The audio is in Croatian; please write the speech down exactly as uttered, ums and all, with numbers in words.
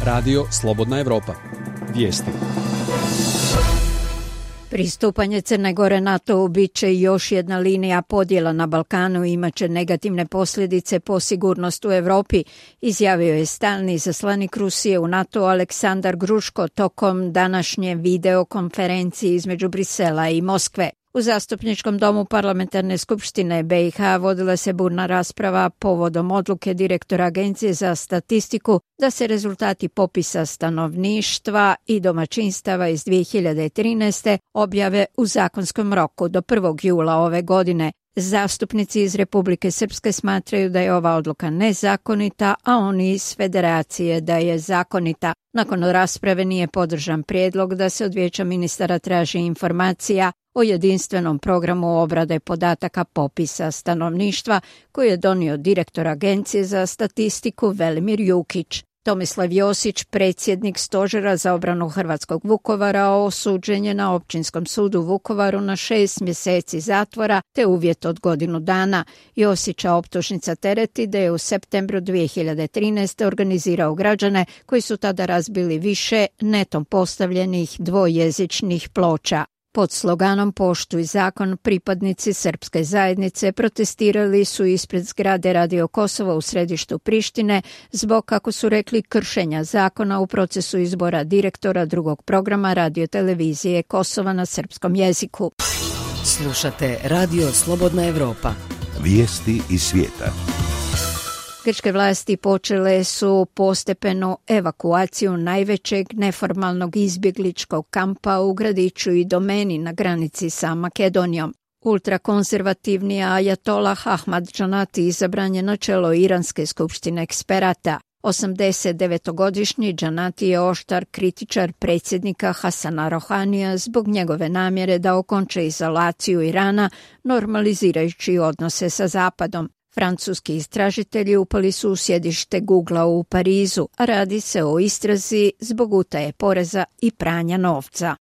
Radio Slobodna Evropa. Vijesti. Pristupanje Crne Gore NATO-u bit će još jedna linija podjela na Balkanu i imat će negativne posljedice po sigurnost u Europi, izjavio je stalni izaslanik Rusije u NATO Aleksandar Gruško tokom današnje videokonferencije između Brisela i Moskve. U Zastupničkom domu Parlamentarne skupštine B i H vodila se burna rasprava povodom odluke direktora Agencije za statistiku da se rezultati popisa stanovništva i domaćinstava iz dvije hiljade trinaeste. objave u zakonskom roku do prvog jula ove godine. Zastupnici iz Republike Srpske smatraju da je ova odluka nezakonita, a oni iz Federacije da je zakonita. Nakon rasprave nije podržan prijedlog da se od Vijeća ministara traži informacija o jedinstvenom programu obrade podataka popisa stanovništva koji je donio direktor Agencije za statistiku Velimir Jukić. Tomislav Josić, predsjednik Stožera za obranu Hrvatskog Vukovara, osuđen je na Općinskom sudu u Vukovaru na šest mjeseci zatvora te uvjet od godinu dana. Josića optužnica tereti da je u septembru dvije hiljade trinaeste. organizirao građane koji su tada razbili više netom postavljenih dvojezičnih ploča. Pod sloganom Poštuj zakon pripadnici srpske zajednice protestirali su ispred zgrade Radio Kosova u središtu Prištine zbog, kako su rekli, kršenja zakona u procesu izbora direktora drugog programa radiotelevizije Kosova na srpskom jeziku. Slušate Radio Slobodna Evropa. Vijesti iz svijeta. Grčke vlasti počele su postepenu evakuaciju najvećeg neformalnog izbjegličkog kampa u gradiću i domeni na granici sa Makedonijom. Ultrakonzervativni ajatolah Ahmad Džanati izabran je na čelo Iranske skupštine eksperata. osamdeset devetogodišnji Džanati je oštar kritičar predsjednika Hasana Rohanija zbog njegove namjere da okonča izolaciju Irana, normalizirajući odnose sa Zapadom. Francuski istražitelji upali su u sjedište Googlea u Parizu, a radi se o istrazi zbog utaje poreza i pranja novca.